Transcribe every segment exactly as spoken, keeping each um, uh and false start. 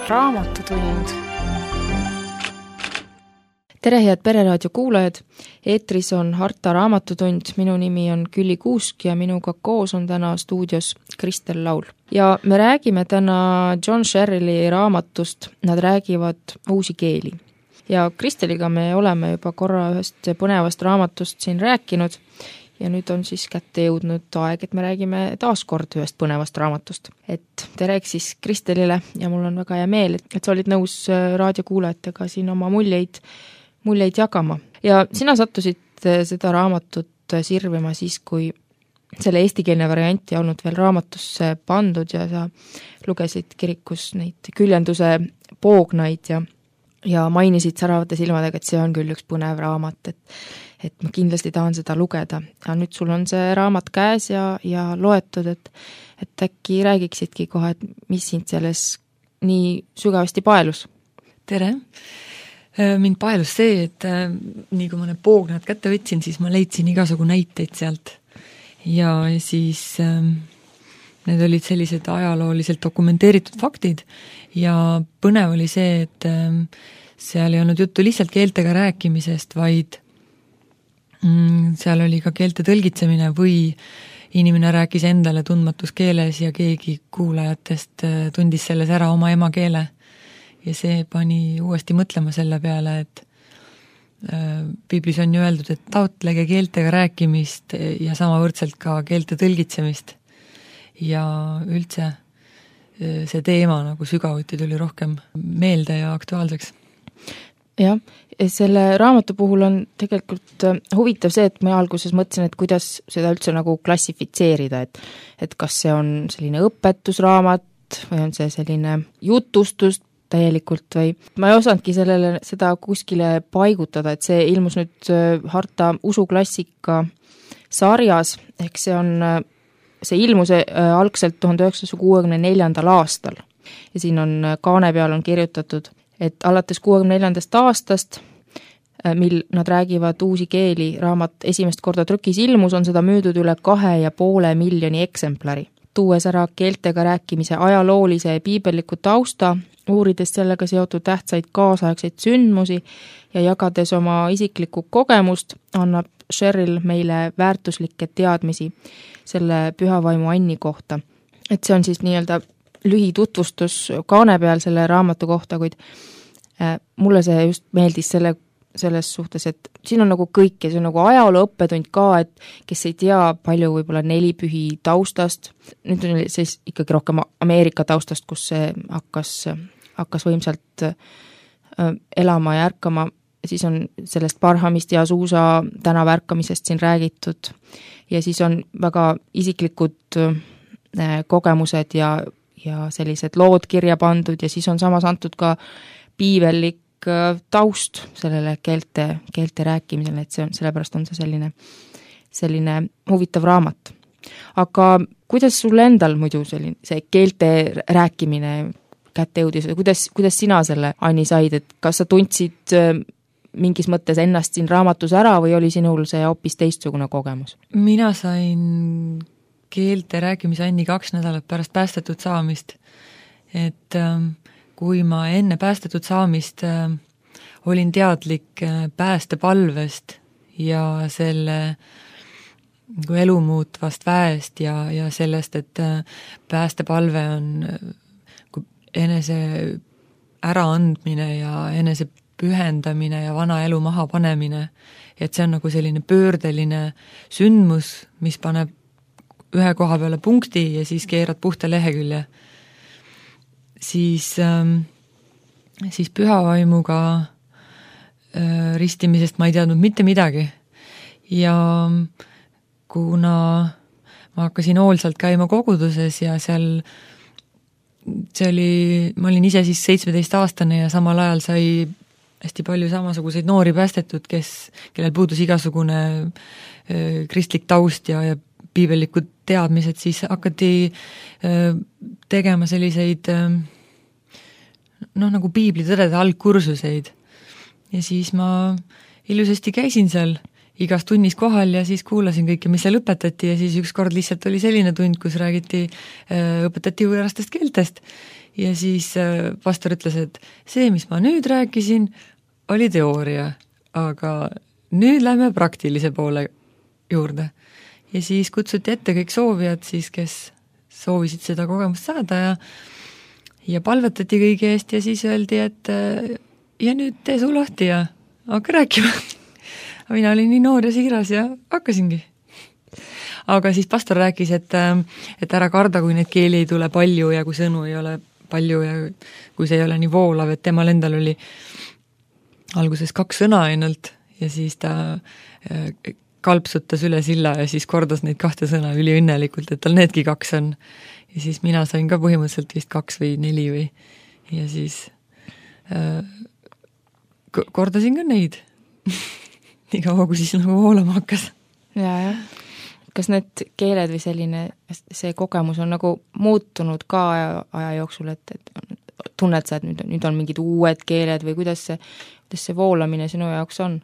Raamatutund. Tere, head Pereraadio kuulajad! Eetris on Harta Raamatutund. Minu nimi on Külli Kuusk ja minuga koos on täna stuudios Kristel Laul. Ja me räägime täna John Sherrilli raamatust. Nad räägivad uusi keeli. Ja Kristeliga me oleme juba korra ühest põnevast raamatust siin rääkinud. Ja nüüd on siis kätte jõudnud aeg, et me räägime taas kord ühest põnevast raamatust. Et tere siis Kristelile ja mul on väga hea meel, et sa olid nõus raadiokuulajatega siin oma muljeid, muljeid jagama. Ja sina sattusid seda raamatut sirvima siis, kui selle eestikeelne variant ei olnud veel raamatusse pandud ja sa lugesid kirikus neid küljenduse poognaid ja, ja mainisid säravate silmadega, et see on küll üks põnev raamat, et et ma kindlasti tahan seda lugeda. Ja nüüd sul on see raamat käes ja, ja loetud, et, et äkki räägiksidki kohe, et mis sind selles nii sügavasti paelus? Tere! Mind paelus see, et nii kui ma need poognad kätte võtsin, siis ma leidsin igasugu näiteid sealt. Ja siis need olid sellised ajalooliselt dokumenteeritud faktid ja põnev oli see, et seal ei olnud juttu lihtsalt keeltega rääkimisest, vaid seal oli ka keelte tõlgitsemine või inimene rääkis endale tundmatus keeles ja keegi kuulajatest tundis selles ära oma emakeele. Ja see pani uuesti mõtlema selle peale, et Piiblis on ju öeldud, et taotlege keeltega rääkimist ja samavõrdselt ka keelte tõlgitsemist. Ja üldse see teema nagu sügavuti tuli rohkem meelde ja aktuaalseks. Jah, selle raamatu puhul on tegelikult huvitav see, et ma alguses mõtlesin, et kuidas seda üldse nagu klassifitseerida, et, et kas see on selline õpetusraamat või on see selline jutustus täielikult või ma ei osanudki sellele seda kuskile paigutada, et see ilmus nüüd Harta usuklassika sarjas, ehk see on, see ilmus algselt tuhande üheksasaja kuuekümne neljandal aastal ja siin on kaane peal on kirjutatud, et alates kuuekümne neljandast aastast, mil nad räägivad uusi keeli, raamat esimest korda trükis ilmus, on seda müüdud üle kahe ja poole miljoni eksemplari. Tuues ära keeltega rääkimise ajaloolise ja piibelliku tausta, uurides sellega seotud tähtsaid kaasaegseid sündmusi ja jagades oma isiklikku kogemust, annab Sherrill meile väärtuslikke teadmisi selle pühavaimu Anni kohta. Et see on siis nii-öelda lühitutvustus kaane peal selle raamatu kohta, kuid äh, mulle see just meeldis selle, selles suhtes, et siin on nagu kõik ja see on nagu ajaloo õppetund ka, et kes ei tea palju võib-olla nelipühi taustast, nüüd on siis ikkagi rohkem Ameerika taustast, kus see hakkas, hakkas võimsalt äh, elama ja ärkama, siis on sellest Barhamist ja Azusa tänava ärkamisest siin räägitud ja siis on väga isiklikud äh, kogemused ja ja sellised lood kirja pandud ja siis on samas antud ka piibellik taust sellele keelte, keelte rääkimisele, et see on, sellepärast on see selline, selline huvitav raamat. Aga kuidas sul endal muidu selline, see keelte rääkimine kätte jõudis, kuidas, kuidas sina selle Anni said, et kas sa tundsid mingis mõttes ennast siin raamatus ära või oli sinul see hoopis teistsugune kogemus? Mina sain keelte rääkimise Anni kaks nädalat pärast päästetud saamist. Et ähm, kui ma enne päästetud saamist äh, olin teadlik äh, päästepalvest ja selle kui elumuutvast väest ja, ja sellest, et äh, päästepalve on äh, enese äraandmine ja enese pühendamine ja vana elu maha panemine. Et see on nagu selline pöördeline sündmus, mis paneb ühe koha peale punkti ja siis keerad puhta lehekülje. Siis, ähm, siis pühavaimuga äh, ristimisest ma ei teadnud mitte midagi. Ja kuna ma hakkasin hoolsalt käima koguduses ja seal see oli, ma olin ise siis seitsmeteistaastane ja samal ajal sai hästi palju samasuguseid noori päästetud, kes, kellel puudus igasugune äh, kristlik taust ja, ja piibellikud teadmised, siis hakati tegema selliseid noh, nagu piiblitõdede algkursuseid. Ja siis ma ilusasti käisin seal igas tunnis kohal ja siis kuulasin kõike, mis seal õpetati ja siis üks kord lihtsalt oli selline tund, kus räägiti, õpetati võõrastest keeltest ja siis pastor ütles, et see, mis ma nüüd rääkisin, oli teooria, aga nüüd lähme praktilise poole juurde. Ja siis kutsuti ette kõik soovijad siis, kes soovisid seda kogemust saada ja ja palvetati kõigi eest ja siis öeldi, et ja nüüd tee suu lahti ja hakka rääkima. Mina olin nii noor ja siiras ja hakkasingi. Aga siis pastor rääkis, et, et ära karda, kui neid keeli ei tule palju ja kui sõnu ei ole palju ja kui see ei ole nii voolav, et temal endal oli alguses kaks sõna ainult ja siis ta kalpsutas üle silla ja siis kordas neid kahte sõna üliõnnelikult, et tal needki kaks on. Ja siis mina sain ka põhimõtteliselt vist kaks või neli või ja siis äh, kordasin ka neid nii kaua, kui siis nagu voolama hakkas. Ja, jah. Kas need keeled või selline, see kogemus on nagu muutunud ka aja, aja jooksul, et, et tunned sa, et nüüd, nüüd on mingid uued keeled või kuidas see, kuidas see voolamine sinu jaoks on?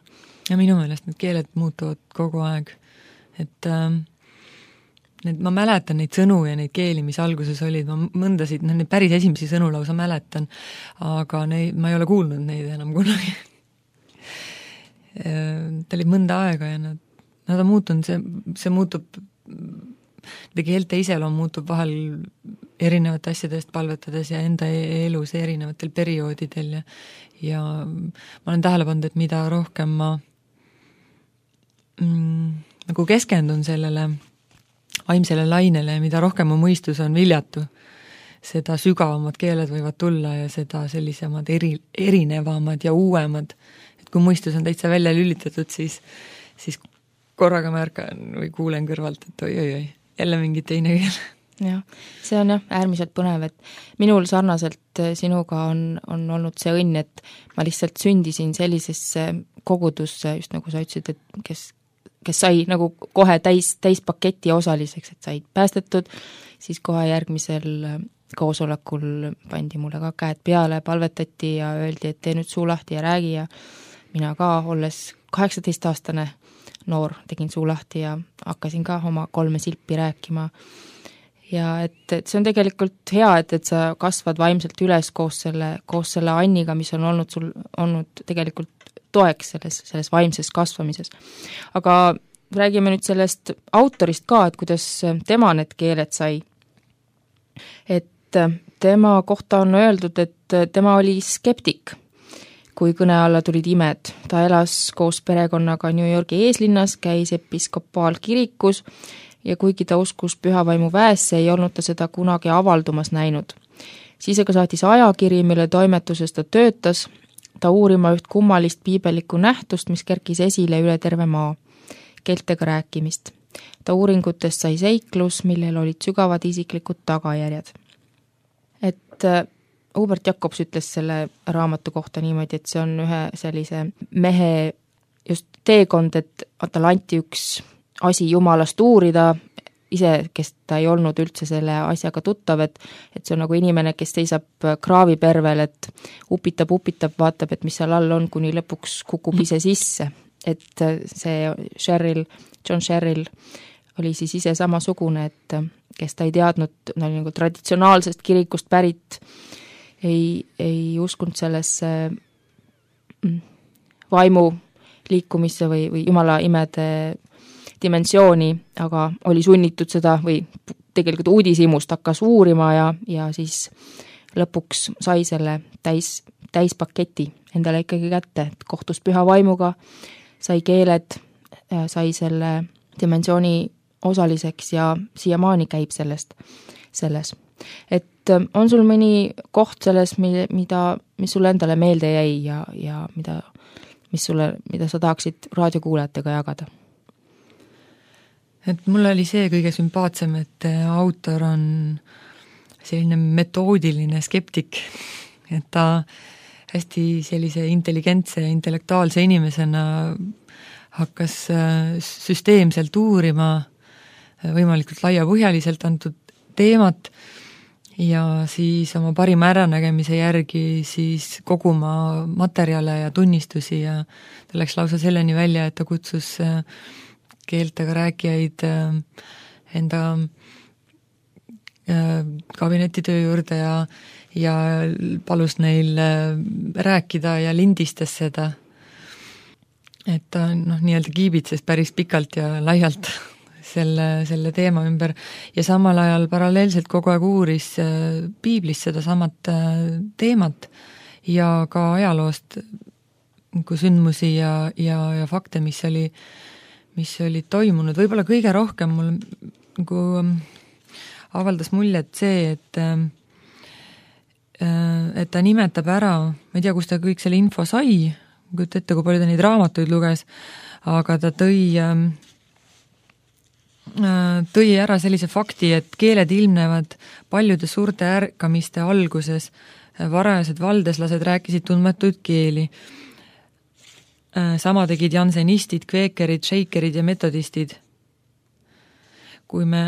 Ja minu meelest need keeled muutuvad kogu aeg. Et ähm, need, ma mäletan neid sõnu ja neid keeli, mis alguses olid, ma mõndasid, neid päris esimesi sõnu lausa mäletan, aga neid, ma ei ole kuulnud neid enam kunagi. Ta oli mõnda aega ja nad Nad on muutunud, see, see muutub, nende keelte iseloom muutub vahel erinevate asjadest palvetades ja enda elus erinevatel perioodidel ja, ja ma olen tähele pannud, et mida rohkem ma mm, nagu keskendun sellele vaimsele lainele ja mida rohkem mu mõistus on viljatu, seda sügavamad keeled võivad tulla ja seda sellisemad eri, erinevamad ja uuemad. Et kui mõistus on täitsa välja lülitatud, siis, siis korraga märkan või kuulen kõrvalt, et oi, oi, oi, jälle mingi teine keel. Jah, see on jah äärmiselt põnev, et minul sarnaselt sinuga on, on olnud see õnn, et ma lihtsalt sündisin sellisesse kogudusse, just nagu sa ütlesid, et kes, kes sai nagu kohe täis, täis paketi osaliseks, et said päästetud, siis kohe järgmisel koosolekul pandi mulle ka käed peale, palvetati ja öeldi, et tee nüüd suu lahti ja räägi ja mina ka, olles kaheksateist-aastane noor, tegin suu lahti ja hakkasin ka oma kolme silpi rääkima. Ja et, et see on tegelikult hea, et, et sa kasvad vaimselt üles koos selle, koos selle Anniga, mis on olnud sul olnud tegelikult toeks selles, selles vaimses kasvamises. Aga räägime nüüd sellest autorist ka, et kuidas tema need keeled sai. Et tema kohta on öeldud, et tema oli skeptik, kui kõne alla tulid imed. Ta elas koos perekonnaga New Yorgi eeslinnas, käis episkopaalkirikus ja kuigi ta uskus pühavaimu väesse, ei olnud ta seda kunagi avaldumas näinud. Siis aga saatis ajakiri, mille toimetuses ta töötas, ta uurima üht kummalist piibellikku nähtust, mis kerkis esile üle terve maa, keeltega rääkimist. Ta uuringutest sai seiklus, millel olid sügavad isiklikud tagajärjed. Et Hubert Jacobs ütles selle raamatu kohta niimoodi, et see on ühe sellise mehe just teekond, et tal anti üks asi Jumalast uurida, ise, kes ta ei olnud üldse selle asjaga tuttav, et, et see on nagu inimene, kes seisab kraavipervel, et upitab, upitab, vaatab, et mis seal all on, kuni lõpuks kukub ise sisse. Et see Sherrill, John Sherrill oli siis ise samasugune, et kes ta ei teadnud, no nagu traditsionaalsest kirikust pärit, ei, ei uskunud sellesse vaimu liikumisse või, või Jumala imede dimensiooni, aga oli sunnitud seda või tegelikult uudishimust hakkas uurima ja, ja siis lõpuks sai selle täis, täispaketi endale ikkagi kätte, et kohtus püha vaimuga, sai keeled, sai selle dimensiooni osaliseks ja siiamaani käib sellest, selles. Et on sul mõni koht selles, mida, mis sulle endale meelde jäi ja, ja mida, mis sulle, mida sa tahaksid raadiokuulajatega jagada? Et mul oli see kõige sümpaatsem, et autor on selline metoodiline skeptik, et ta hästi sellise intelligentse ja intellektuaalse inimesena hakkas süsteemselt uurima võimalikult laiapõhjaliselt antud teemat ja siis oma parima äranägemise järgi siis koguma materjale ja tunnistusi ja ta läks lausa selleni välja, et ta kutsus keeltega rääkijaid enda kabinetitöö juurde ja, ja palus neil rääkida ja lindistas seda. Et ta noh, nii-öelda kiibitses päris pikalt ja laialt selle, selle teema ümber ja samal ajal paralleelselt kogu aeg uuris piiblis seda samat teemat ja ka ajaloost kui sündmusi ja, ja, ja fakte, mis oli, mis oli toimunud. Võib-olla kõige rohkem mul nagu avaldas muljet see, et et ta nimetab ära, ma ei tea, kus ta kõik selle info sai, kuid ette, kui palju ta neid raamatuid luges, aga ta tõi, tõi ära sellise fakti, et keeled ilmnevad paljude suurte ärkamiste alguses. Varajased valdeslased rääkisid tundmatuid keeli. Sama tegid jansenistid, kveekerid, šeikerid ja metodistid. Kui me,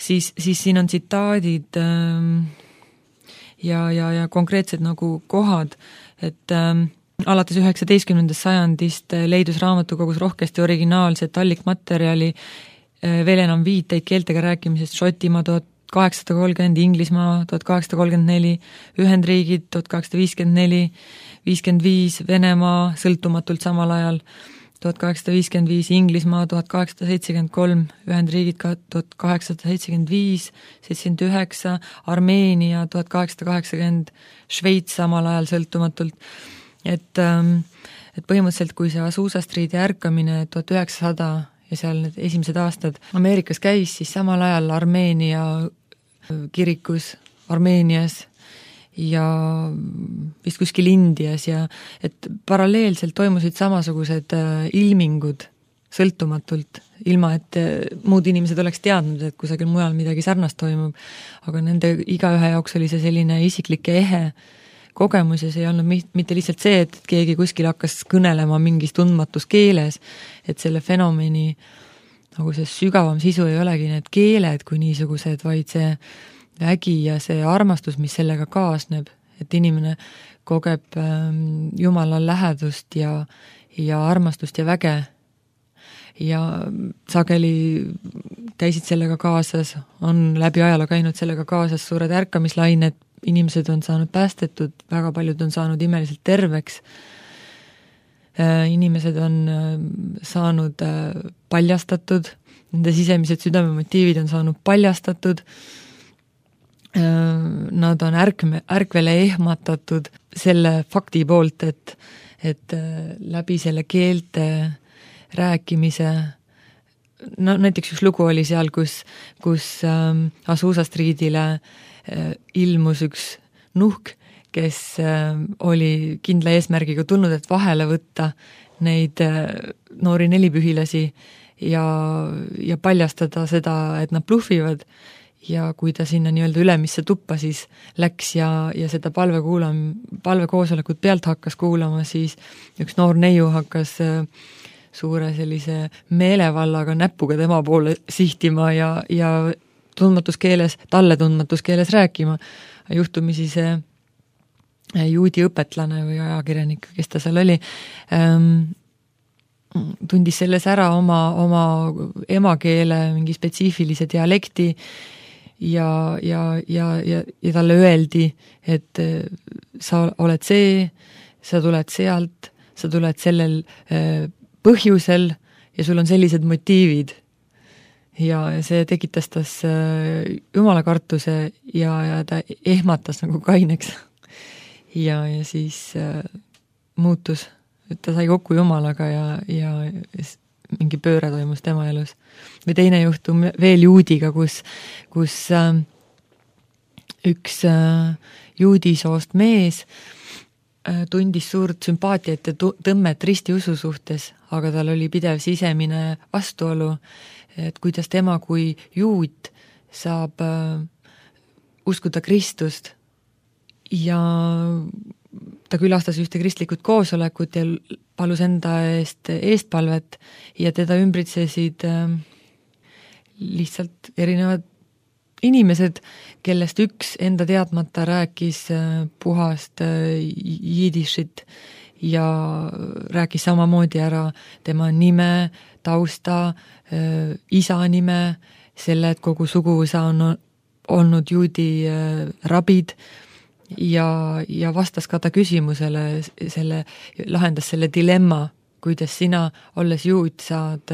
siis, siis siin on tsitaadid ja, ja, ja konkreetsed nagu kohad, et alates üheksateistkümnendast sajandist leidus raamatukogus rohkesti originaalset allikmaterjali, veel enam viiteid keeltega rääkimisest Šotimaa tuhat kaheksasada kolmkümmend, Inglismaa tuhat kaheksasada kolmkümmend neli, Ühendriigid tuhat kaheksasada viiskümmend neli, viiskümmend viis, Venemaa sõltumatult samal ajal tuhat kaheksasada viiskümmend viis, Inglismaa tuhat kaheksasada seitsekümmend kolm, Ühendriigid tuhat kaheksasada seitsekümmend viis, seitsekümmend üheksa, Armeenia tuhat kaheksasada kaheksakümmend, Šveits samal ajal sõltumatult. Et, et põhimõtteliselt, kui see Azusa Streeti ärkamine tuhat üheksasada ja seal need esimesed aastad Ameerikas käis, siis samal ajal Armeenia kirikus Armeenias ja vist kuskil Indias ja et paralleelselt toimusid samasugused ilmingud sõltumatult, ilma et muud inimesed oleks teadnud, et kusagil mujal midagi sarnast toimub, aga nende igaühe jaoks oli see selline isiklik ja ehe kogemus ja see ei olnud mitte lihtsalt see, et keegi kuskil hakkas kõnelema mingis tundmatus keeles, et selle fenomeni nagu see sügavam sisu ei olegi need keeled kui niisugused, vaid see vägi ja see armastus, mis sellega kaasneb, et inimene kogeb Jumala lähedust ja, ja armastust ja väge ja sageli käisid sellega kaasas, on läbi ajaloo käinud sellega kaasas suured ärkamislained, inimesed on saanud päästetud, väga paljud on saanud imeliselt terveks, inimesed on saanud paljastatud, nende sisemised südamemotiivid on saanud paljastatud, nad on ärkme, ärkvele ehmatatud selle fakti poolt, et, et läbi selle keelte rääkimise, no näiteks üks lugu oli seal, kus, kus ähm, Azusa Streetile äh, ilmus üks nuhk, kes äh, oli kindla eesmärgiga tulnud, et vahele võtta neid äh, noori nelipühilasi ja, ja paljastada seda, et nad bluffivad ja kui ta sinna nii-öelda ülemisse tuppa siis läks ja, ja seda palve kuulam, palvekoosolekut pealt hakkas kuulama, siis üks noor neiu hakkas äh, suure sellise meelevallaga näpuga tema poole sihtima ja, ja tundmatus keeles, talle tundmatus keeles rääkima. Juhtumisi see juudi õpetlane või ajakirjanik, kes ta seal oli, ähm, tundis selles ära oma, oma emakeele mingi spetsiifilise dialekti ja, ja, ja, ja, ja talle öeldi, et sa oled see, sa tuled sealt, sa tuled sellel äh, põhjusel ja sul on sellised motiivid. Ja see tekitas tas jumala kartuse ja, ja ta ehmatas nagu kaineks. Ja, ja siis äh, muutus, et ta sai kokku jumalaga ja, ja mingi pööre toimus tema elus. Või teine juhtum veel juudiga, kus, kus äh, üks äh, juudisoost mees tundis suurt sümpaatiat ja tõmmet ristiusu suhtes, aga tal oli pidev sisemine vastuolu, et kuidas tema kui juut saab uskuda Kristust ja ta külastas ühte kristlikud koosolekut ja palus enda eest eestpalvet ja teda ümbritsesid lihtsalt erinevad inimesed, kellest üks enda teadmata rääkis puhast jiidishit ja rääkis samamoodi ära tema nime, tausta, isa nime, selle, et kogu suguvõsa on olnud juudi rabid ja, ja vastas ka ta küsimusele, selle, lahendas selle dilemma, kuidas sina, olles juud, saad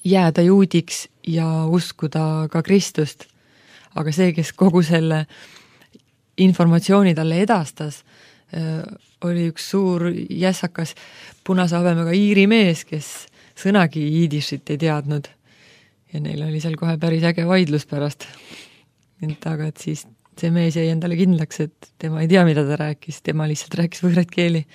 jääda juudiks ja uskuda ka Kristust. Aga see, kes kogu selle informatsiooni talle edastas, oli üks suur jässakas punase habemega iiri mees, kes sõnagi jiidishit ei teadnud. Ja neil oli seal kohe päris äge vaidlus pärast. Aga et siis see mees jäi endale kindlaks, et tema ei tea, mida ta rääkis, tema lihtsalt rääkis võõraid keeli.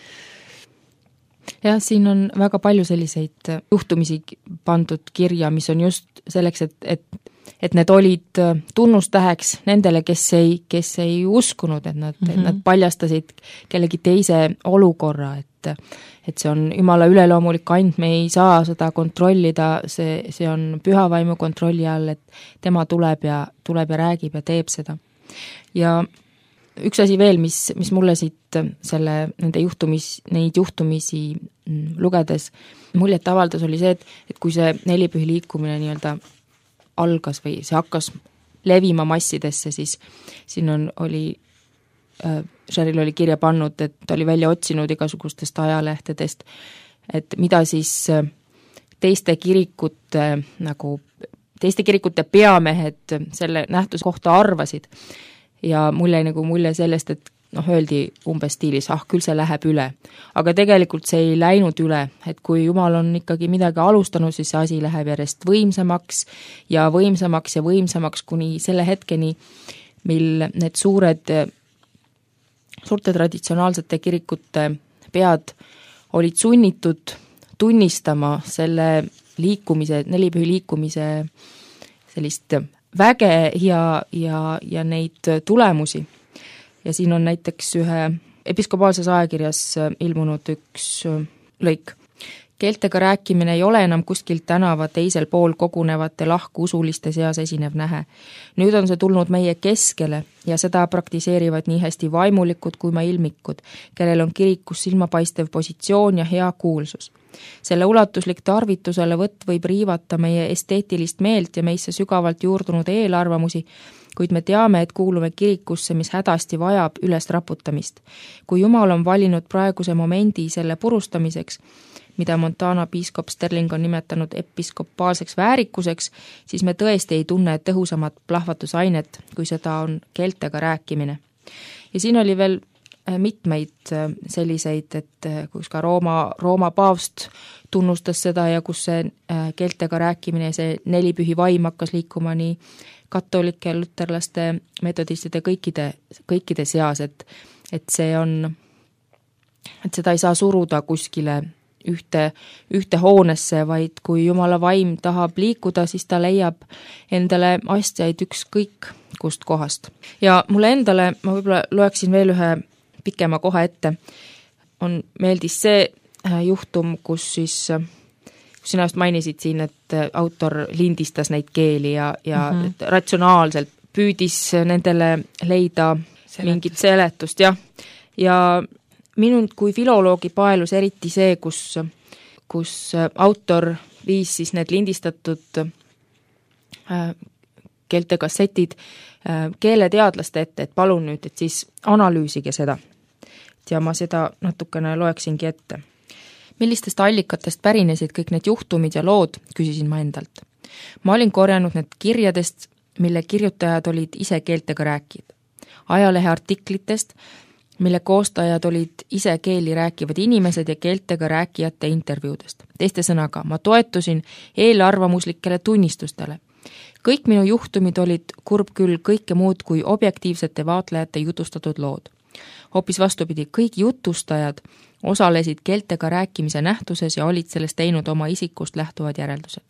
Jah, siin on väga palju selliseid juhtumisi pandud kirja, mis on just selleks, et, et, et need olid tunnustäheks nendele, kes ei, kes ei uskunud, et nad, mm-hmm. et nad paljastasid kellegi teise olukorra, et, et see on Jumala üleloomulik and, me ei saa seda kontrollida, see, see on pühavaimu kontrolli all, et tema tuleb ja, tuleb ja räägib ja teeb seda. Ja üks asi veel, mis, mis mulle siit selle, nende juhtumis, neid juhtumisi lugedes muljet avaldas, oli see, et, et kui see nelipühi liikumine nii-öelda algas või see hakkas levima massidesse, siis siin on, oli äh, Sheril oli kirja pannud, et ta oli välja otsinud igasugustest ajalehtedest, et mida siis teiste kirikute nagu, teiste kirikute peamehed selle nähtuse kohta arvasid. Ja mul jäi nagu mulje sellest, et noh, öeldi umbes stiilis, ah, küll see läheb üle. Aga tegelikult see ei läinud üle, et kui Jumal on ikkagi midagi alustanud, siis see asi läheb järjest võimsamaks ja võimsamaks ja võimsamaks kuni selle hetkeni, mil need suured, suurte traditsionaalsete kirikute pead olid sunnitud tunnistama selle liikumise, nelipühi liikumise sellist väge ja, ja, ja neid tulemusi. Ja siin on näiteks ühe episkopaalses ajakirjas ilmunud üks lõik. Keeltega rääkimine ei ole enam kuskil tänava teisel pool kogunevate lahku usuliste seas esinev nähe. Nüüd on see tulnud meie keskele ja seda praktiseerivad nii hästi vaimulikud kui ma ilmikud, kellel on kirikus silmapaistev positsioon ja hea kuulsus. Selle ulatuslik tarvitusele võtt võib riivata meie esteetilist meelt ja meisse sügavalt juurdunud eelarvamusi, kuid me teame, et kuulume kirikusse, mis hädasti vajab üles raputamist. Kui Jumal on valinud praeguse momendi selle purustamiseks, mida Montana piiskop Sterling on nimetanud episkopaalseks väärikuseks, siis me tõesti ei tunne tõhusamat plahvatusainet, kui seda on keeltega rääkimine. Ja siin oli veel mitmeid selliseid, et kus ka Rooma, Rooma paavst tunnustas seda ja kus see keeltega rääkimine, see nelipühi vaim hakkas liikuma nii katolike, luterlaste, metodistide kõikide, kõikide seas, et, et see on, et seda ei saa suruda kuskile ühte, ühte hoonesse, vaid kui Jumala vaim tahab liikuda, siis ta leiab endale astjaid ükskõik kust kohast. Ja mulle endale, ma võib-olla loeksin veel ühe pikema koha ette, on meeldis see juhtum, kus siis, kus sina just mainisid siin, et autor lindistas neid keeli ja, ja mm-hmm. ratsionaalselt püüdis nendele leida Seletus. mingit seletust, jah. Ja minul kui filoloogi paelus eriti see, kus, kus autor viis siis need lindistatud äh, keeltekassetid äh, keeleteadlaste ette, et palun nüüd, et siis analüüsige seda. Ja ma seda natukene loeksingi ette. Millistest allikatest pärinesid kõik need juhtumid ja lood, küsisin ma endalt. Ma olin korjanud need kirjadest, mille kirjutajad olid ise keeltega rääkid. Ajalehe artiklitest, mille koostajad olid ise keeli rääkivad inimesed ja keeltega rääkijate intervjuudest. Teiste sõnaga, ma toetusin eelarvamuslikele tunnistustele. Kõik minu juhtumid olid kurb küll kõike muud kui objektiivsete vaatlejate jutustatud lood. Hoopis vastupidi, kõik jutustajad osalesid keeltega rääkimise nähtuses ja olid sellest teinud oma isikust lähtuvad järeldused.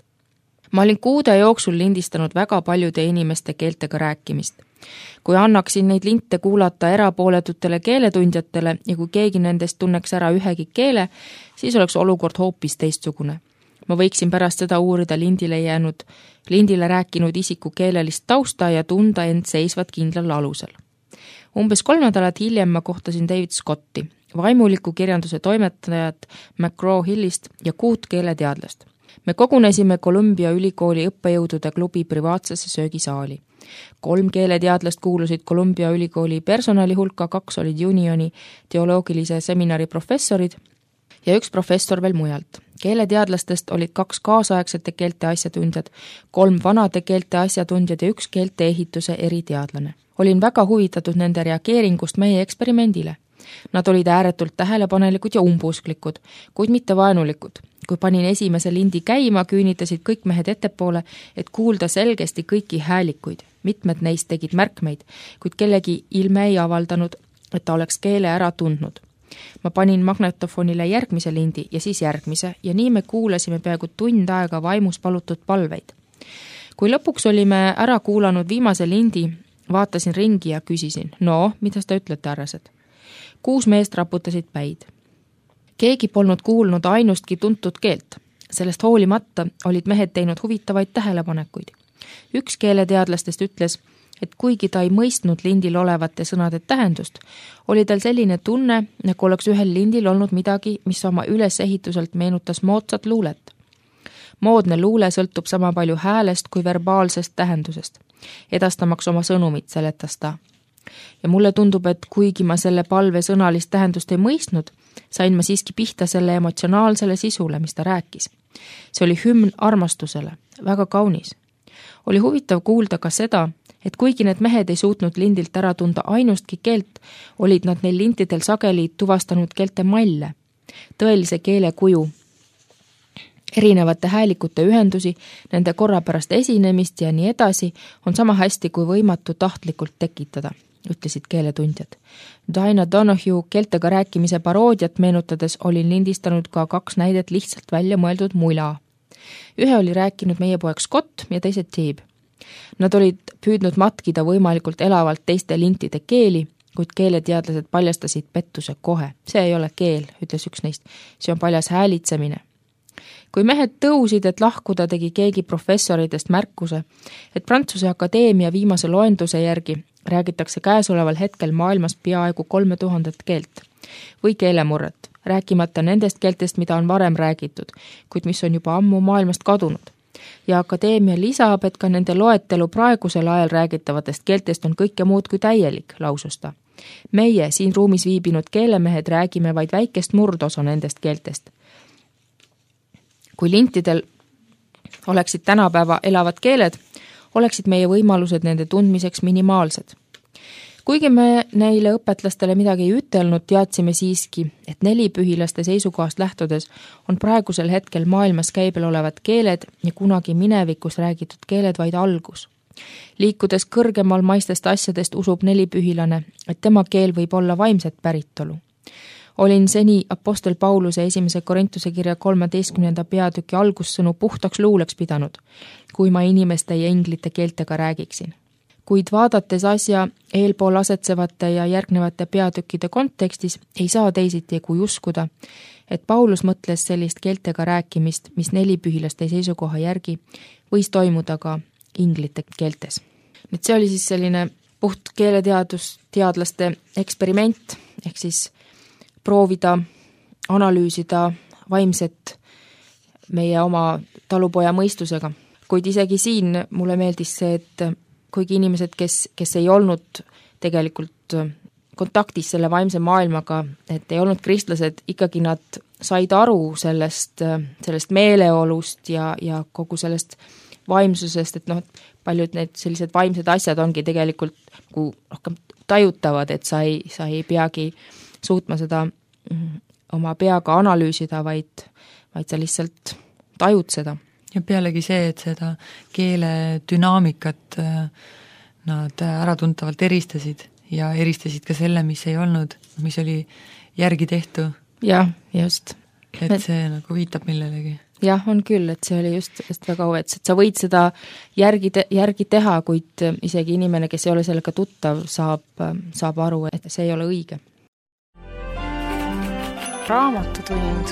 Ma olin kuude jooksul lindistanud väga paljude inimeste keeltega rääkimist. Kui annaksin neid linte kuulata erapooletutele keeletundjatele ja kui keegi nendest tunneks ära ühegi keele, siis oleks olukord hoopis teistsugune. Ma võiksin pärast seda uurida lindile jäänud, lindile rääkinud isiku keelelist tausta ja tunda end seisvat kindlal alusel. Umbes kolm nädalat hiljem ma kohtasin David Scotti, vaimuliku kirjanduse toimetajat McGraw-Hillist ja kuut keeleteadlast. Me kogunesime Columbia ülikooli õppejõudude klubi privaatsesse söögisaali. Kolm keeleteadlast kuulusid Columbia ülikooli personali hulka, kaks olid Unioni teoloogilise seminari professorid ja üks professor veel mujalt. Keeleteadlastest olid kaks kaasaegsete keelte asjatundjad, kolm vanade keelte asjatundjad ja üks keelte ehituse eriteadlane. Olin väga huvitatud nende reageeringust meie eksperimendile. Nad olid ääretult tähelepanelikud ja umbusklikud, kuid mitte vaenulikud. Kui panin esimese lindi käima, küünitasid kõik mehed ettepoole, et kuulda selgesti kõiki häälikuid. Mitmed neist tegid märkmeid, kuid kellegi ilme ei avaldanud, et ta oleks keele ära tundnud. Ma panin magnetofonile järgmise lindi ja siis järgmise ja nii me kuulasime peaaegu tund aega vaimus palutud palveid. Kui lõpuks olime ära kuulanud viimase lindi, vaatasin ringi ja küsisin, no, mida te ütlete, härrased? Kuus meest raputasid päid. Keegi polnud kuulnud ainustki tuntud keelt. Sellest hoolimata olid mehed teinud huvitavaid tähelepanekuid. Üks keeleteadlastest ütles, et kuigi ta ei mõistnud lindil olevate sõnade tähendust, oli tal selline tunne, nagu oleks ühel lindil olnud midagi, mis oma ülesehituselt meenutas moodsat luulet. Moodne luule sõltub sama palju häälest kui verbaalsest tähendusest. Edastamaks oma sõnumit, seletas ta. Ja mulle tundub, et kuigi ma selle palve sõnalist tähendust ei mõistnud, sain ma siiski pihta selle emotsionaalsele sisule, mis ta rääkis. See oli hümn armastusele, väga kaunis. Oli huvitav kuulda ka seda, et kuigi need mehed ei suutnud lindilt ära tunda ainustki keelt, olid nad neil lintidel sageli tuvastanud keelte malle, tõelise keele kuju, erinevate häälikute ühendusi, nende korrapärast esinemist ja nii edasi on sama hästi kui võimatu tahtlikult tekitada, ütlesid keeletundjad. Dinah Donohue keeltega rääkimise paroodiat meenutades olin lindistanud ka kaks näidet lihtsalt välja mõeldud mula. Ühe oli rääkinud meie poeg Scott ja teise Teeb. Nad olid püüdnud matkida võimalikult elavalt teiste lintide keeli, kuid keeleteadlased paljastasid pettuse kohe. See ei ole keel, ütles üks neist. See on paljas häälitsemine. Kui mehed tõusid, et lahkuda, tegi keegi professoritest märkuse, et Prantsuse Akadeemia viimase loenduse järgi räägitakse käesoleval hetkel maailmas peaaegu kolme tuhandet keelt või keelemurret, rääkimata nendest keeltest, mida on varem räägitud, kuid mis on juba ammu maailmast kadunud. Ja Akadeemia lisab, et ka nende loetelu praegusel ajal räägitavatest keeltest on kõike muud kui täielik, lausus ta. Meie siin ruumis viibinud keelemehed räägime vaid väikest murdosa nendest keeltest. Kui lintidel oleksid tänapäeva elavad keeled, oleksid meie võimalused nende tundmiseks minimaalsed. Kuigi me neile õpetlastele midagi ei ütelnud, teadsime siiski, et nelipühilaste seisukohast lähtudes on praegusel hetkel maailmas käibel olevad keeled ja kunagi minevikus räägitud keeled vaid algus. Liikudes kõrgemal maistest asjadest usub nelipühilane, et tema keel võib olla vaimset päritolu. Olin seni apostel Pauluse esimese Korintuse kirja kolmeteistkümnenda peatüki algussõnu puhtaks luuleks pidanud, kui ma inimeste ja inglite keeltega räägiksin. Kuid vaadates asja eelpool asetsevate ja järgnevate peatükkide kontekstis ei saa teisiti kui uskuda, et Paulus mõtles sellist keeltega rääkimist, mis nelipühilaste seisukoha järgi võis toimuda ka inglite keeltes. Nüüd see oli siis selline puht keeleteadus, teadlaste eksperiment, ehk siis proovida, analüüsida vaimset meie oma talupoja mõistusega. Kuid isegi siin mulle meeldis see, et kuigi inimesed, kes, kes ei olnud tegelikult kontaktis selle vaimse maailmaga, et ei olnud kristlased, ikkagi nad said aru sellest, sellest meeleolust ja, ja kogu sellest vaimsusest, et noh, paljud need sellised vaimsed asjad ongi tegelikult nagu rohkem tajutavad, et sa ei, sa ei peagi suutma seda oma peaga analüüsida, vaid, vaid sa lihtsalt tajud seda. Ja pealegi see, et seda keele dünaamikat nad äratuntavalt eristasid ja eristasid ka selle, mis ei olnud, mis oli järgi tehtu. Jah, just. Et see nagu viitab millelegi. Jah, on küll, et see oli just, just väga huvitav, et sa võid seda järgi, te, järgi teha, kuid isegi inimene, kes ei ole sellega tuttav, saab, saab aru, et see ei ole õige. Raamatutund.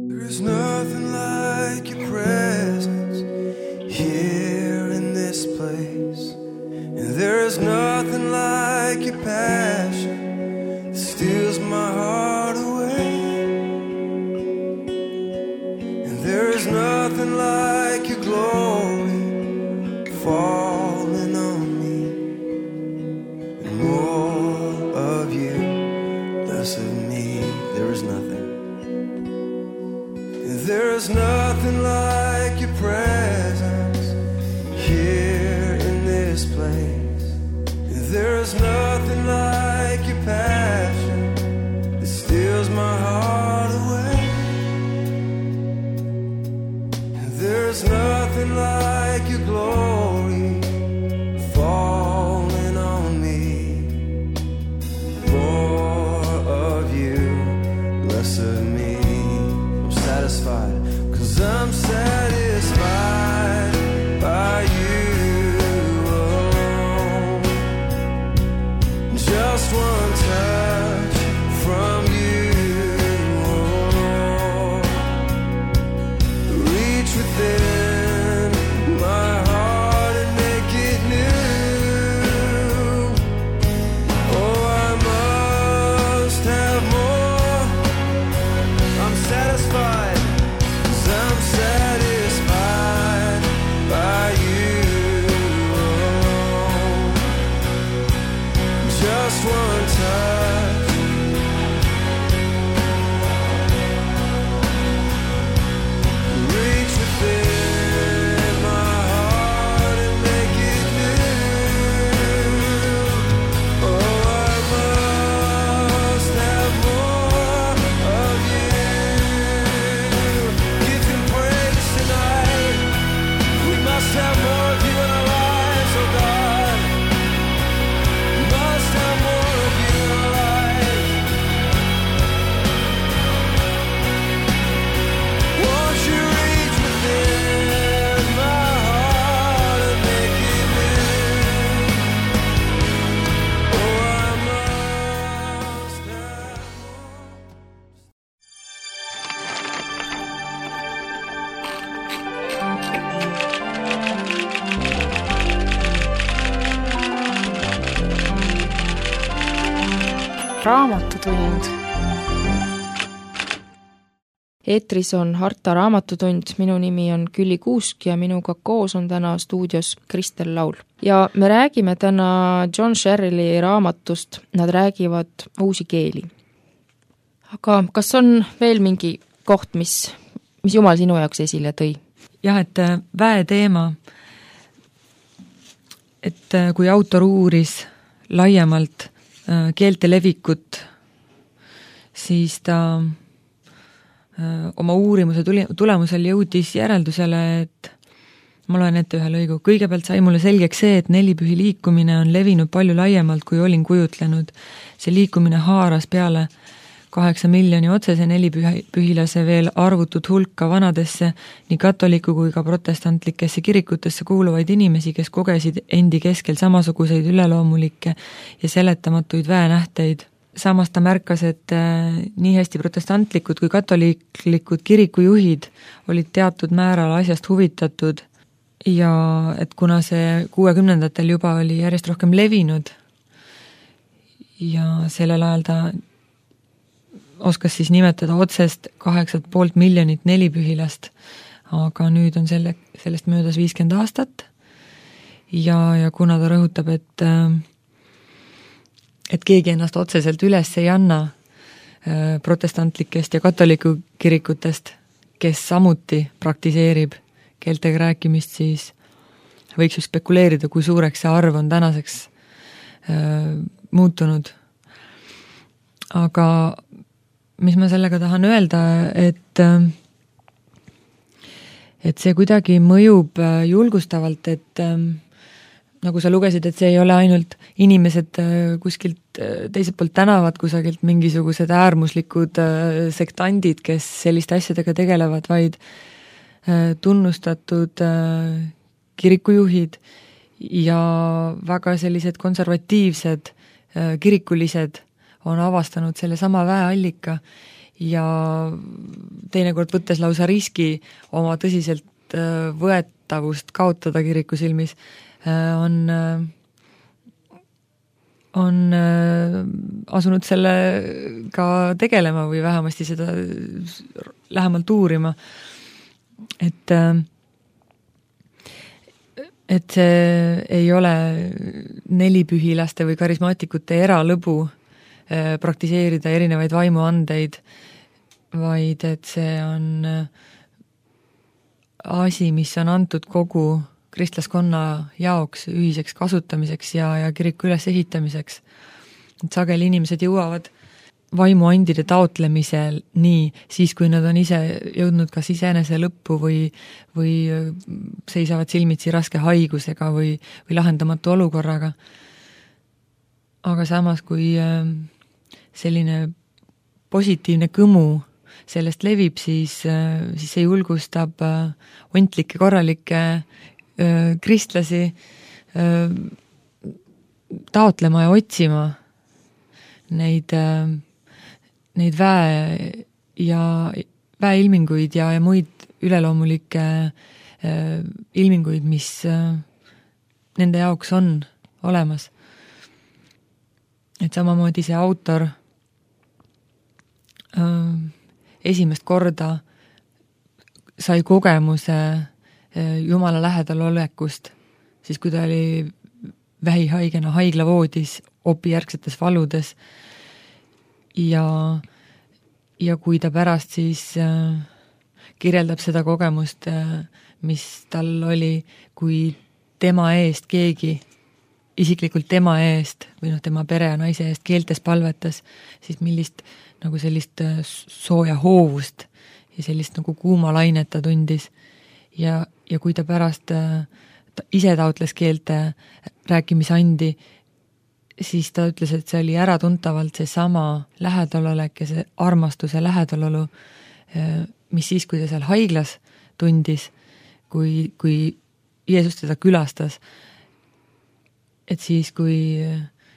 There's nothing like your presence here in this place, and there is nothing like your passion that steals my heart away, and there is nothing less of me. There is nothing. There is nothing like your presence here in this place. There is nothing like your passion that steals my heart away. There is nothing like your glory falling on me. More of you, less of me. I'm satisfied, 'cause I'm satisfied by you alone. Just one touch from you, oh, reach within my heart and make it new. Oh, I must have more. I'm satisfied, 'cause I'm satisfied by you alone. Just one touch, reach within my heart and make it new. Oh, I must have more of you. Give him praise tonight. We must have more of you in our lives, oh God. We must have more of you in our lives. Won't you reach within my heart and make it new? Oh, I must have Raamatutund. eetris on Harta raamatutund, minu nimi on Külli Kuusk ja minuga koos on täna stuudios Kristel Laul. Ja me räägime täna John Sherrilli raamatust, nad räägivad uusi keeli. Aga kas on veel mingi koht, mis, mis Jumal sinu jaoks esile tõi? Jah, et väe teema, et kui autor uuris laiemalt keelte levikut, siis ta oma uurimuse tulemusel jõudis järeldusele, et ma loen ette ühe lõigu. Kõigepealt sai mulle selgeks see, et nelipühi liikumine on levinud palju laiemalt, kui olin kujutlenud. See liikumine haaras peale kaheksa miljoni otsese nelipühilase veel arvutud hulka vanadesse, nii katoliku kui ka protestantlikesse kirikutesse kuuluvaid inimesi, kes kogesid endi keskel samasuguseid üleloomulikke ja seletamatuid väenähteid. Samas ta märkas, et nii hästi protestantlikud kui katoliiklikud kirikujuhid olid teatud määral asjast huvitatud ja et kuna see kuuekümnendatel juba oli järjest rohkem levinud ja sellel ajal ta oskas siis nimetada otsest kaheksat poolt miljonit nelipühilast, aga nüüd on selle, sellest möödas viiskümmend aastat ja, ja kuna ta rõhutab, et et keegi ennast otseselt üles ei anna protestantlikest ja katoliku kirikutest, kes samuti praktiseerib keeltega rääkimist, siis võiks ju spekuleerida, kui suureks see arv on tänaseks muutunud. Aga mis ma sellega tahan öelda, et et see kuidagi mõjub julgustavalt, et nagu sa lugesid, et see ei ole ainult inimesed kuskilt teiselt poolt tänavat, kusagilt mingisugused äärmuslikud sektandid, kes selliste asjadega tegelevad, vaid tunnustatud kirikujuhid ja väga sellised konservatiivsed kirikulised on avastanud selle sama väeallika ja teinekord võttes lausa riski oma tõsiselt võetavust kaotada kiriku silmis, on, on asunud sellega tegelema või vähemasti seda lähemalt uurima. Et, et see ei ole nelipühilaste või karismaatikute eralõbu, praktiseerida erinevaid vaimuandeid, vaid et see on asi, mis on antud kogu kristlaskonna jaoks ühiseks kasutamiseks ja, ja kiriku üles ehitamiseks. Et sageli inimesed jõuavad vaimuandide taotlemisel nii, siis kui nad on ise jõudnud kas iseenese lõppu või, või seisavad silmitsi raske haigusega või, või lahendamatu olukorraga. Aga samas, kui selline positiivne kõmu sellest levib, siis, siis see julgustab ontlikke korralikke kristlasi taotlema ja otsima neid neid väe ja väeilminguid ja, ja muid üleloomulikke äh, ilminguid, mis äh, nende jaoks on olemas. Et samamoodi see autor äh, esimest korda sai kogemuse äh, Jumala lähedal olekust, siis kui ta oli vähihaigena haiglavoodis opijärgsetes valudes. Ja, ja kui ta pärast siis äh, kirjeldab seda kogemust, äh, mis tal oli, kui tema eest keegi, isiklikult tema eest või noh, tema pere ja naise eest keeltes palvetas, siis millist nagu sellist äh, sooja hoovust ja sellist nagu kuuma lainet ta tundis. Ja, ja kui ta pärast äh, ta ise taotles keelte rääkimisandi, siis ta ütles, et see oli äratuntavalt see sama lähedalolek ja see armastuse lähedalolu, mis siis, kui ta seal haiglas tundis, kui, kui Jeesus teda külastas, et siis, kui,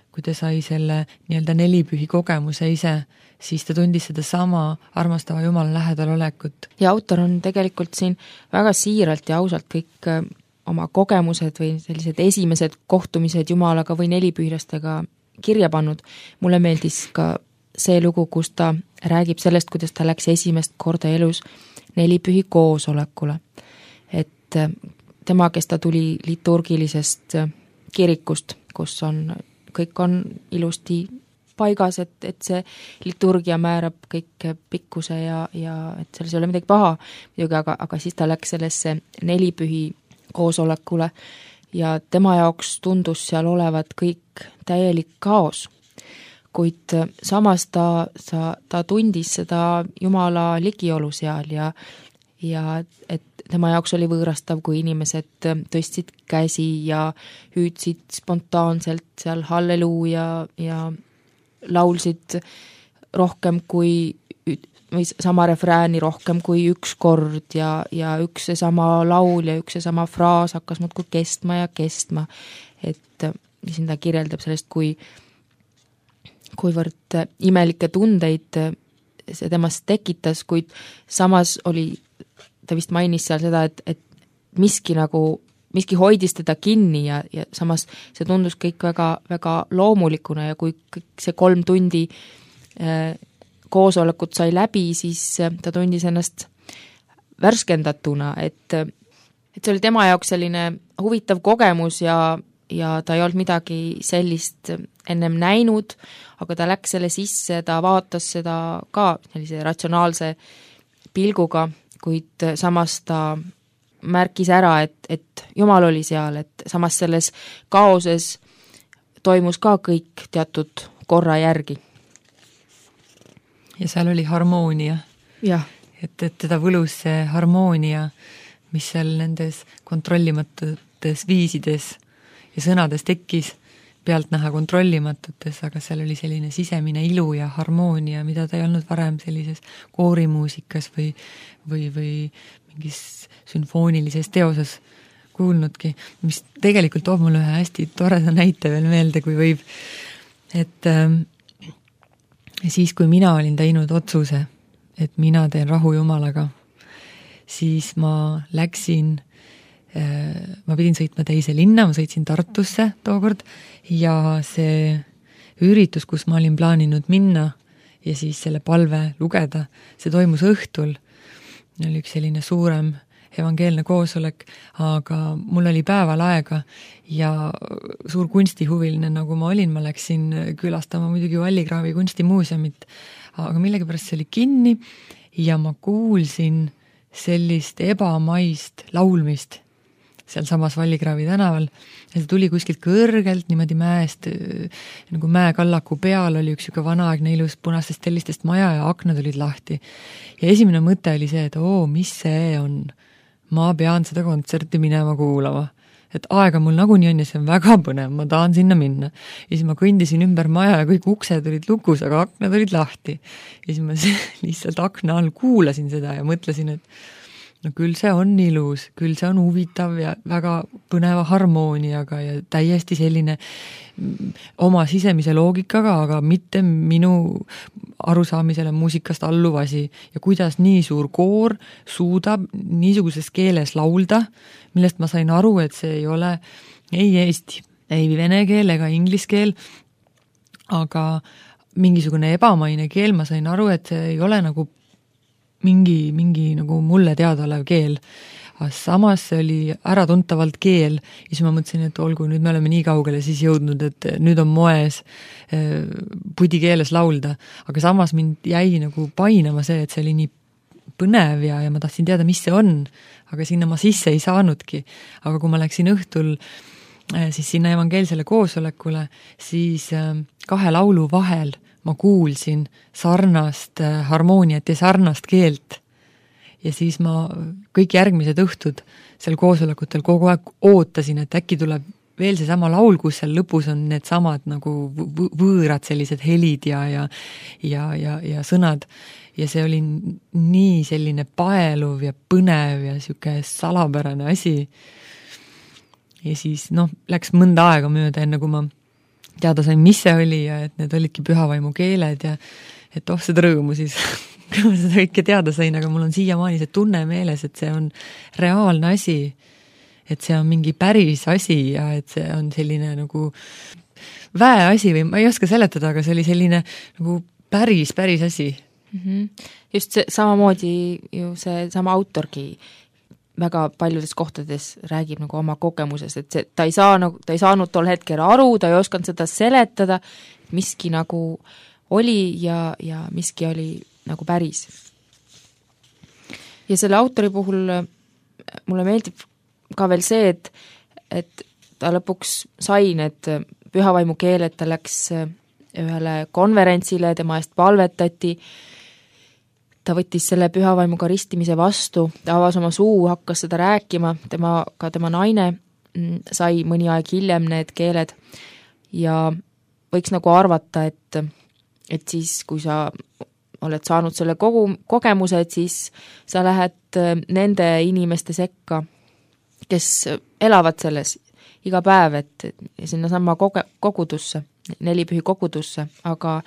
kui ta sai selle nii-öelda nelipühi kogemuse ise, siis ta tundis seda sama armastava Jumala lähedalolekut. Ja autor on tegelikult siin väga siiralt ja ausalt kõik oma kogemused või sellised esimesed kohtumised Jumalaga või nelipühilastega kirja pannud. Mulle meeldis ka see lugu, kus ta räägib sellest, kuidas ta läks esimest korda elus nelipühi koosolekule. Et tema, kes ta tuli liturgilisest kirikust, kus on, kõik on ilusti paigas, et, et see liturgia määrab kõik pikkuse ja, ja et selles ei ole midagi paha, aga, aga siis ta läks sellesse nelipühi koosolekule ja tema jaoks tundus seal olevat kõik täielik kaos. Kuid samas ta, ta, ta tundis seda Jumala ligiolu seal ja, ja et tema jaoks oli võõrastav, kui inimesed tõstsid käsi ja hüüdsid spontaanselt seal halleluuja ja laulsid rohkem kui või sama refrääni rohkem kui üks kord ja, ja üks see sama laul ja üks see sama fraas hakkas muudkui kestma ja kestma. Et siin ta kirjeldab sellest, kui kuivõrd imelikke tundeid see temast tekitas, kuid samas oli, ta vist mainis seal seda, et, et miski nagu, miski hoidis teda kinni ja, ja samas see tundus kõik väga, väga loomulikuna ja kui kõik see kolm tundi äh, koosolekut sai läbi, siis ta tundis ennast värskendatuna, et, et see oli tema jaoks selline huvitav kogemus ja, ja ta ei olnud midagi sellist ennem näinud, aga ta läks selle sisse, ta vaatas seda ka sellise ratsionaalse pilguga, kuid samas ta märkis ära, et, et Jumal oli seal, et samas selles kaoses toimus ka kõik teatud korra järgi. Ja seal oli harmoonia. Ja. Et, et teda võlus see harmoonia, mis seal nendes kontrollimatutes viisides ja sõnades tekkis, pealt näha kontrollimatutes, aga seal oli selline sisemine ilu ja harmoonia, mida ta ei olnud varem sellises koorimuusikas või, või, või mingis sümfoonilises teoses kuulnudki, mis tegelikult toob mulle ühe hästi toreda näite veel meelde, kui võib, et ähm, siis, kui mina olin teinud otsuse, et mina teen rahu Jumalaga, siis ma läksin, ma pidin sõitma teise linna, ma sõitsin Tartusse tookord ja see üritus, kus ma olin plaaninud minna ja siis selle palve lugeda, see toimus õhtul. Oli üks selline suurem evangeelne koosolek, aga mul oli päeval aega ja suur kunstihuviline, nagu ma olin, ma läksin külastama muidugi Vallikraavi kunstimuuseumit, aga millegipärast see oli kinni ja ma kuulsin sellist ebamaist laulmist seal samas Vallikraavi tänaval ja see tuli kuskilt kõrgelt niimoodi mäest, nagu mäekallaku peal oli üks siuke vanaaegne ilus punastest tellistest maja ja aknad olid lahti. Ja esimene mõte oli see, et oo, mis see on? Ma pean seda kontserti minema kuulama. Et aega mul nagunii on ja see on väga põnev, ma tahan sinna minna. Ja siis ma kõndisin ümber maja ja kõik uksed olid lukus, aga aknad olid lahti. Ja siis ma lihtsalt akna all kuulasin seda ja mõtlesin, et no küll see on ilus, küll see on huvitav ja väga põneva harmooniaga ja täiesti selline oma sisemise loogikaga, aga mitte minu arusaamisele muusikast alluv asi. Ja kuidas nii suur koor suudab niisuguses keeles laulda, millest ma sain aru, et see ei ole ei eesti, ei vene keel ega inglis keel, aga mingisugune ebamaine keel, ma sain aru, et see ei ole nagu mingi, mingi nagu mulle teada olev keel. Aga samas see oli äratuntavalt keel ja siis ma mõtlesin, et olgu, nüüd me oleme nii kaugele siis jõudnud, et nüüd on moes pudi keeles laulda. Aga samas mind jäi nagu painama see, et see oli nii põnev ja, ja ma tahtsin teada, mis see on, aga sinna ma sisse ei saanudki. Aga kui ma läksin õhtul siis sinna evangeelsele koosolekule, siis kahe laulu vahel ma kuulsin sarnast harmooniat ja sarnast keelt. Ja siis ma kõik järgmised õhtud seal koosolekutel kogu aeg ootasin, et äkki tuleb veel see sama laul, kus seal lõpus on need samad nagu võõrad sellised helid ja, ja, ja, ja, ja sõnad. Ja see oli nii selline paeluv ja põnev ja siuke salapärane asi. Ja siis noh, läks mõnda aega mööda, enne kui ma teada sain, mis see oli ja et need olidki pühavaimu keeled ja et oh, seda rõõmu siis, kui ma seda kõike teada sain, aga mul on siiamaani see tunne meeles, et see on reaalne asi, et see on mingi päris asi ja et see on selline nagu väe asi või ma ei oska seletada, aga see oli selline nagu päris, päris asi. Mm-hmm. Just see samamoodi ju see sama autorgi väga paljudes kohtades räägib nagu oma kogemuses, et see, ta, ei saa, nagu, ta ei saanud tol hetkel aru, ta ei osanud seda seletada, miski nagu oli ja, ja miski oli nagu päris. Ja selle autori puhul mulle meeldib ka veel see, et, et ta lõpuks sai need pühavaimu keeled, ta läks ühele konverentsile, tema eest palvetati, ta võttis selle pühavaimuga ristimise vastu, ta avas oma suu, hakkas seda rääkima, tema, ka tema naine sai mõni aeg hiljem need keeled ja võiks nagu arvata, et, et siis, kui sa oled saanud selle kogu kogemuse, et siis sa lähed nende inimeste sekka, kes elavad selles iga päev, et sinna sama koge, kogudusse, nelipühi kogudusse, aga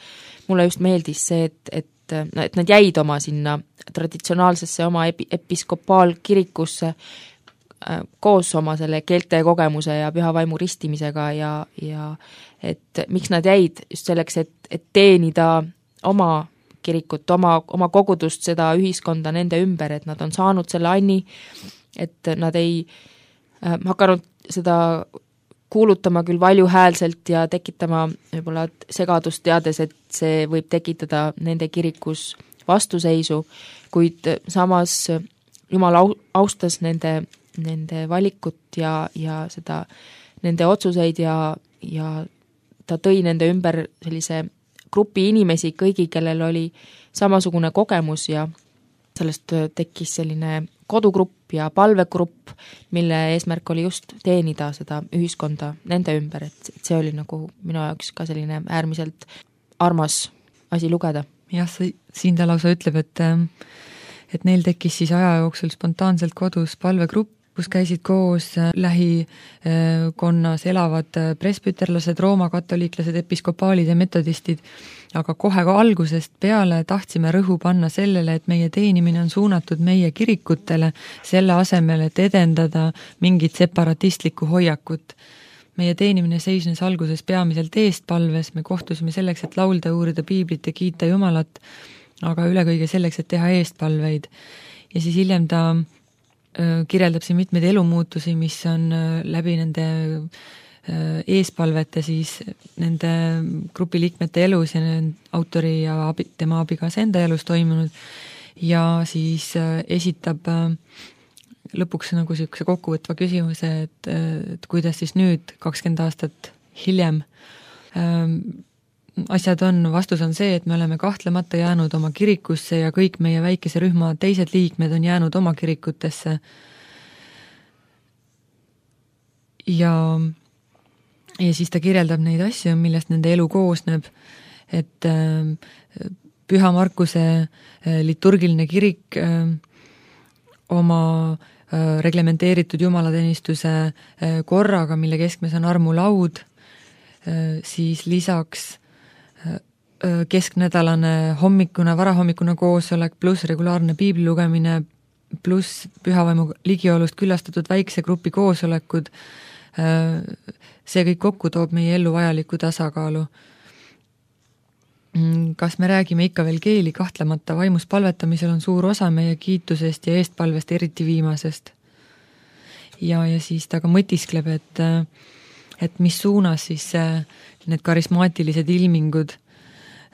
mulle just meeldis see, et, et et nad jäid oma sinna traditsionaalsesse oma epi, episkopaalkirikusse koos oma selle keelte kogemuse ja pühavaimu ristimisega ja, ja et miks nad jäid just selleks, et, et teenida oma kirikut, oma, oma kogudust, seda ühiskonda nende ümber, et nad on saanud selle anni, et nad ei äh, hakanud seda kuulutama küll valjuhäälselt ja tekitama võib-olla segadust teades, et see võib tekitada nende kirikus vastuseisu, kuid samas Jumal austas nende, nende valikut ja, ja seda, nende otsuseid ja, ja ta tõi nende ümber sellise grupi inimesi, kõigi, kellel oli samasugune kogemus ja sellest tekkis selline kodugrupp ja palvegrupp, mille eesmärk oli just teenida seda ühiskonda nende ümber, et see oli nagu minu jaoks ka selline äärmiselt armas asi lugeda. Jah, siin ta lausa ütleb, et, et neil tekkis siis aja jooksul spontaanselt kodus palvegrupp, kus käisid koos lähikonnas elavad presbüterlased, roomakatoliiklased, episkopaalid ja metodistid, aga kohe ka algusest peale tahtsime rõhu panna sellele, et meie teenimine on suunatud meie kirikutele, selle asemel, et edendada mingit separatistlikku hoiakut. Meie teenimine seisnes alguses peamiselt eestpalves, me kohtusime selleks, et laulda, uurida piiblit ja kiita Jumalat, aga üle kõige selleks, et teha eestpalveid. Ja siis hiljem ta kirjeldab siin mitmeid elumuutusi, mis on läbi nende eespalvete siis nende grupiliikmete elus ja autori ja abi, tema abikaasa enda elus toimunud ja siis esitab lõpuks nagu niisuguse kokkuvõtva küsimuse, et, et kuidas siis nüüd kakskümmend aastat hiljem asjad on, vastus on see, et me oleme kahtlemata jäänud oma kirikusse ja kõik meie väikese rühma teised liikmed on jäänud oma kirikutesse. Ja, ja siis ta kirjeldab neid asju, millest nende elu koosneb, et Püha Markuse liturgiline kirik oma reglementeeritud jumalateenistuse korraga, mille keskmes on armulaud, siis lisaks kesknädalane hommikune, varahommikune koosolek pluss regulaarne piibli lugemine pluss pühavaimu ligiolust külastatud väikse grupi koosolekud, see kõik kokku toob meie ellu vajaliku tasakaalu. Kas me räägime ikka veel keeli, kahtlemata vaimus palvetamisel on suur osa meie kiitusest ja eestpalvest, eriti viimasest. Ja, ja siis ta ka mõtiskleb, et et mis suunas siis need karismaatilised ilmingud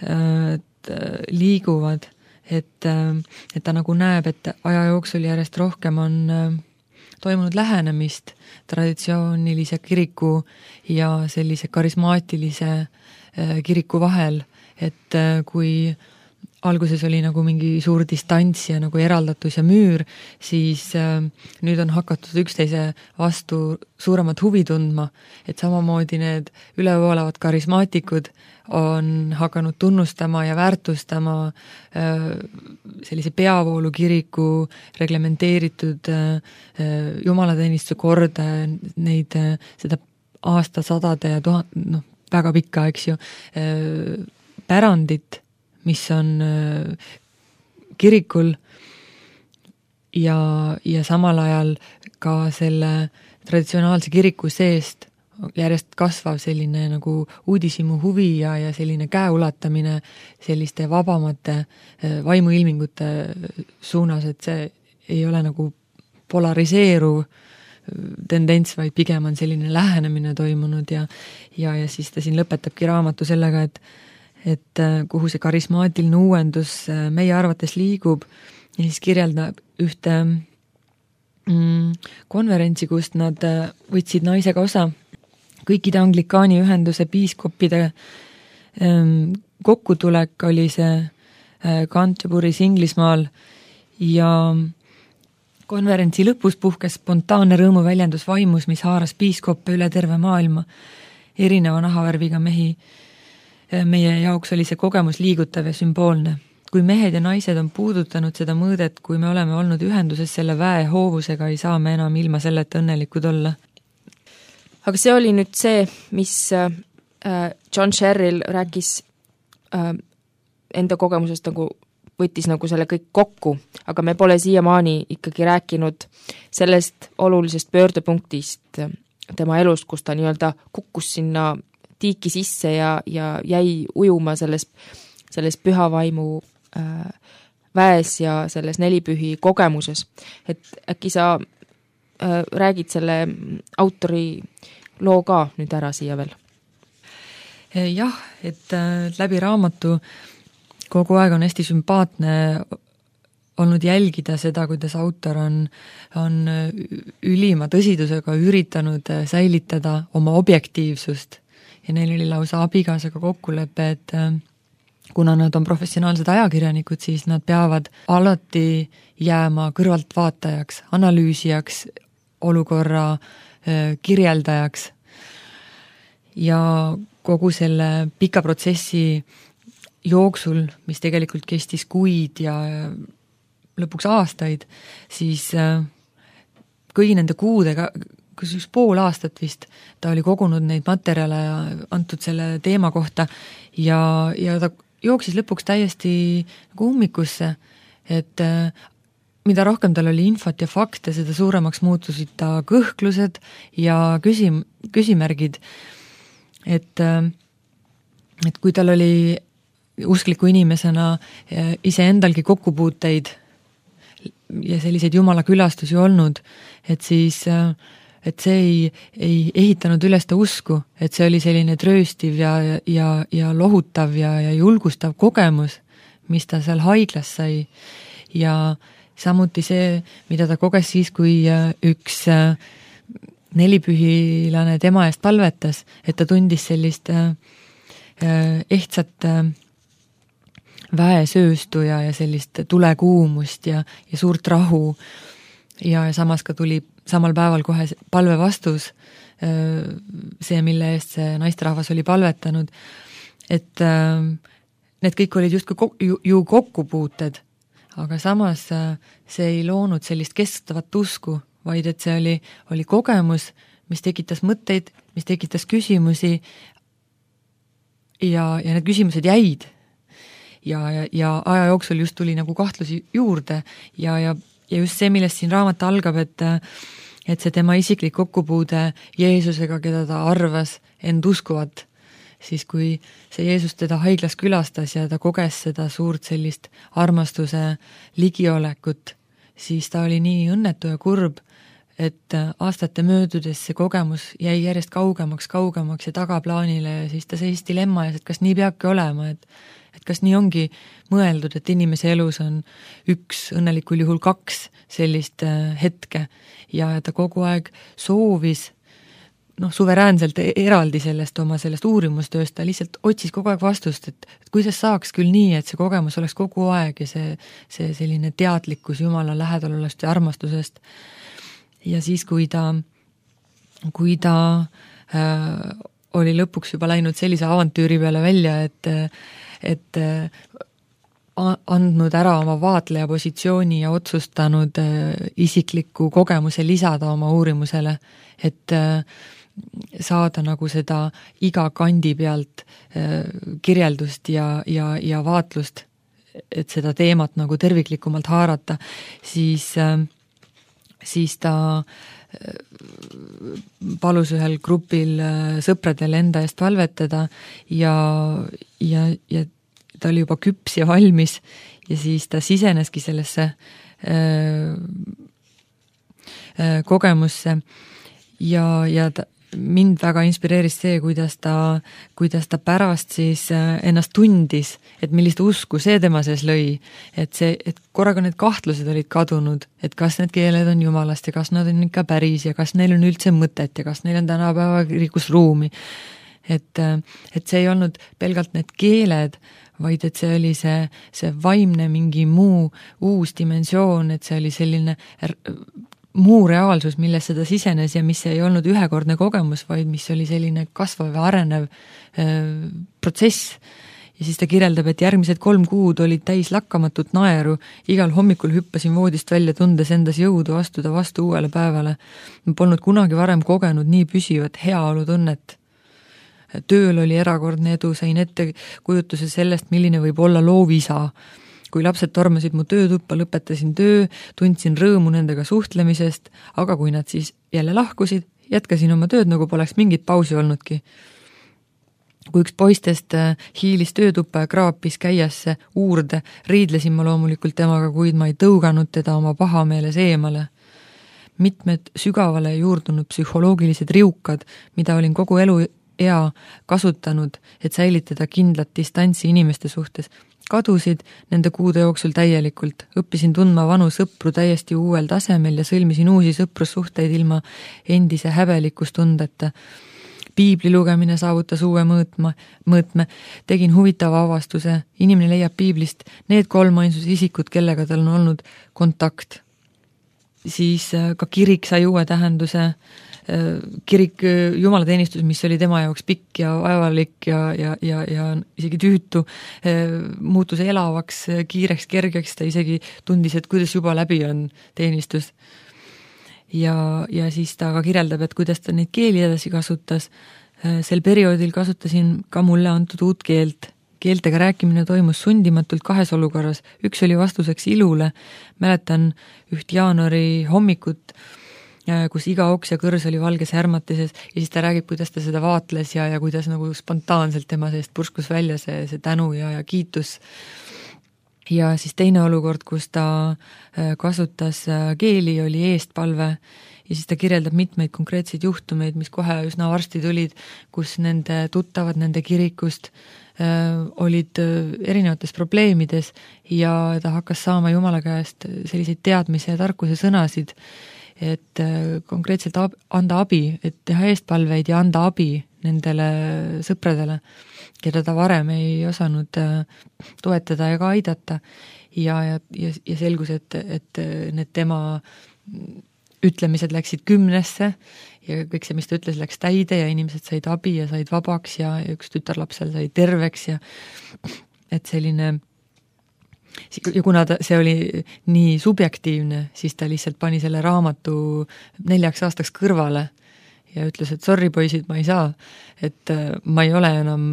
et liiguvad, et, et ta nagu näeb, et aja jooksul järjest rohkem on toimunud lähenemist traditsioonilise kiriku ja sellise karismaatilise kiriku vahel, et kui alguses oli nagu mingi suur distants ja nagu eraldatus ja müür, siis äh, nüüd on hakatud üksteise vastu suuremat huvi tundma, et samamoodi need ülevoolavad karismaatikud on hakanud tunnustama ja väärtustama äh, sellise peavoolu kiriku reglementeeritud äh, jumalateenistuse korda, neid, äh, seda aastasadade ja tuhat, noh, väga pikka, eks ju, äh, pärandit, mis on kirikul ja, ja samal ajal ka selle traditsionaalse kiriku seest järjest kasvav selline nagu uudishimu huvi ja, ja selline käeulatamine selliste vabamate vaimuilmingute suunas, et see ei ole nagu polariseeruv tendents, vaid pigem on selline lähenemine toimunud ja, ja, ja siis ta siin lõpetabki raamatu sellega, et et kuhu see karismaatiline uuendus meie arvates liigub ja siis kirjeldab ühte mm, konverentsi, kust nad võtsid naisega osa. Kõikide anglikaani ühenduse piiskoppide ähm, kokkutulek oli see äh, Canterbury's Inglismaal ja konverentsi lõpus puhkes spontaanne rõõmuväljendus vaimus, mis haaras piiskoppe üle terve maailma, erineva nahavärviga mehi. Meie jaoks oli see kogemus liigutav ja sümboolne. Kui mehed ja naised on puudutanud seda mõõdet, kui me oleme olnud ühenduses selle väe hoovusega, ei saa me enam ilma selleta õnnelikud olla. Aga see oli nüüd see, mis John Sherrill rääkis enda kogemusest, nagu võttis nagu selle kõik kokku, aga me pole siiamaani ikkagi rääkinud sellest olulisest pöördepunktist tema elust, kus ta nii-öelda kukkus sinna tiiki sisse ja, ja jäi ujuma selles, selles pühavaimu äh, väes ja selles nelipühi kogemuses. Et äkki sa äh, räägid selle autori loo ka nüüd ära siia veel? Jah, et äh, läbi raamatu kogu aeg on hästi sümpaatne olnud jälgida seda, kuidas autor on, on ülima tõsidusega üritanud säilitada oma objektiivsust. Ja neil oli lausa abikaasaga kokkulepe, et kuna nad on professionaalsed ajakirjanikud, siis nad peavad alati jääma kõrvaltvaatajaks, analüüsijaks, olukorra kirjeldajaks. Ja kogu selle pika protsessi jooksul, mis tegelikult kestis kuid ja lõpuks aastaid, siis kõigi nende kuudega kus üks pool aastat vist ta oli kogunud neid materjale ja antud selle teema kohta ja, ja ta jooksis lõpuks täiesti nagu ummikusse, et mida rohkem tal oli infot ja fakte, seda suuremaks muutusid ta kõhklused ja küsim, küsimärgid, et, et kui tal oli uskliku inimesena iseendalgi kokkupuuteid ja selliseid jumala külastusi olnud, et siis et see ei, ei ehitanud üles ta usku, et see oli selline trööstiv ja, ja, ja lohutav ja, ja julgustav kogemus, mis ta seal haiglas sai. Ja samuti see, mida ta koges siis, kui üks nelipühilane tema eest palvetas, et ta tundis sellist ehtsat väesööstu ja, ja sellist tulekuumust ja, ja suurt rahu ja samas ka tuli samal päeval kohe palve vastus, see, mille eest see naisterahvas oli palvetanud, et need kõik olid justkui ju, ju kokkupuuted, aga samas see ei loonud sellist kestvat usku, vaid et see oli, oli kogemus, mis tekitas mõtteid, mis tekitas küsimusi ja, ja need küsimused jäid. Ja, ja, ja aja jooksul just tuli nagu kahtlusi juurde ja, ja, ja just see, millest siin raamat algab, et, et see tema isiklik kokkupuude Jeesusega, keda ta arvas end uskuvat, siis kui see Jeesus teda haiglas külastas ja ta koges seda suurt sellist armastuse ligiolekut, siis ta oli nii õnnetu ja kurb, et aastate möödudes see kogemus jäi järjest kaugemaks, kaugemaks ja tagaplaanile ja siis ta seis dilemma ees, et kas nii peabki olema, et et kas nii ongi mõeldud, et inimese elus on üks, õnnelikul juhul kaks sellist hetke ja ta kogu aeg soovis noh, suveräänselt eraldi sellest oma sellest uurimustööst, ta lihtsalt otsis kogu aeg vastust, et, et kuidas saaks küll nii, et see kogemus oleks kogu aeg ja see, see selline teadlikkus Jumala lähedalolest ja armastusest. Ja siis, kui ta, kui ta äh, oli lõpuks juba läinud sellise avantüüri peale välja, et et andnud ära oma vaatleja positsiooni ja otsustanud isikliku kogemuse lisada oma uurimusele, et saada nagu seda iga kandi pealt kirjeldust ja, ja, ja vaatlust, et seda teemat nagu terviklikumalt haarata, siis, siis ta palus ühel grupil sõpradel enda eest palvetada ja, ja, ja ta oli juba küps ja valmis ja siis ta siseneski sellesse äh, äh, kogemusse ja, ja ta, mind väga inspireeris see, kuidas ta, kuidas ta pärast siis ennast tundis, et millist usku see tema sees lõi, et see, et korraga need kahtlused olid kadunud, et kas need keeled on Jumalast ja kas nad on ikka päris ja kas neil on üldse mõtet ja kas neil on tänapäeva kirikus ruumi. Et, et see ei olnud pelgalt need keeled, vaid et see oli see, see vaimne mingi muu uus dimensioon, et see oli selline muu reaalsus, milles seda sisenes ja mis ei olnud ühekordne kogemus, vaid mis oli selline kasvav ja arenev äh, protsess. Ja siis ta kirjeldab, et järgmised kolm kuud olid täis lakkamatut naeru, igal hommikul hüppasin voodist välja, tundes endas jõudu astuda vastu uuele päevale. Ma polnud kunagi varem kogenud nii püsivat heaolutunnet. Tööl oli erakordne edu, sain ette kujutuse sellest, milline võib olla loovisa. Kui lapsed tormasid mu töötuppa, lõpetasin töö, tundsin rõõmu nendega suhtlemisest, aga kui nad siis jälle lahkusid, jätkasin oma tööd, nagu poleks mingit pausi olnudki. Kui üks poistest hiilis töötuppa ja kraapis käiasse uurde, riidlesin ma loomulikult temaga, kuid ma ei tõuganud teda oma pahameeles eemale. Mitmed sügavale juurdunud psühholoogilised riukad, mida olin kogu elu ea kasutanud, et säilitada kindlat distantsi inimeste suhtes, kadusid nende kuude jooksul täielikult. Õppisin tundma vanu sõpru täiesti uuel tasemel ja sõlmisin uusi sõprussuhteid ilma endise häbelikustundeta. Piibli lugemine saavutas uue mõõtma, mõõtme. Tegin huvitava avastuse. Inimene leiab piiblist need kolm ainsus isikud, kellega tal on olnud kontakt. Siis ka kirik sai uue tähenduse. Kirik, jumalateenistus, mis oli tema jaoks pikk ja vaevalik ja, ja, ja, ja isegi tüütu, muutus elavaks, kiireks, kergeks, ta isegi tundis, et kuidas juba läbi on teenistus. Ja, ja siis ta ka kirjeldab, et kuidas ta neid keeli edasi kasutas. Sel perioodil kasutasin ka mulle antud uut keelt. Keeltega rääkimine toimus sundimatult kahes olukorras. Üks oli vastuseks ilule. Mäletan üht jaanuari hommikut, kus iga oks ja kõrs oli valges härmatises ja siis ta räägib, kuidas ta seda vaatles ja, ja kuidas nagu spontaanselt tema seest purskus välja see, see tänu ja, ja kiitus. ja siis teine olukord, kus ta kasutas keeli, oli eestpalve ja siis ta kirjeldab mitmeid konkreetseid juhtumeid, mis kohe üsna varsti tulid, kus nende tuttavad nende kirikust äh, olid erinevates probleemides ja ta hakkas saama Jumala käest selliseid teadmise ja tarkuse sõnasid, et äh, konkreetselt ab, anda abi, et teha eestpalveid ja anda abi nendele sõpradele, keda ta varem ei osanud toetada ega aidata ja, ja, ja, ja selgus, et, et need tema ütlemised läksid kümnesse ja kõik see, mis ta ütles, läks täide ja inimesed said abi ja said vabaks ja, ja üks tütarlapsel sai terveks ja et selline ja kuna ta, see oli nii subjektiivne, siis ta lihtsalt pani selle raamatu neljaks aastaks kõrvale ja ütles, et sorry poisid, ma ei saa, et ma ei ole enam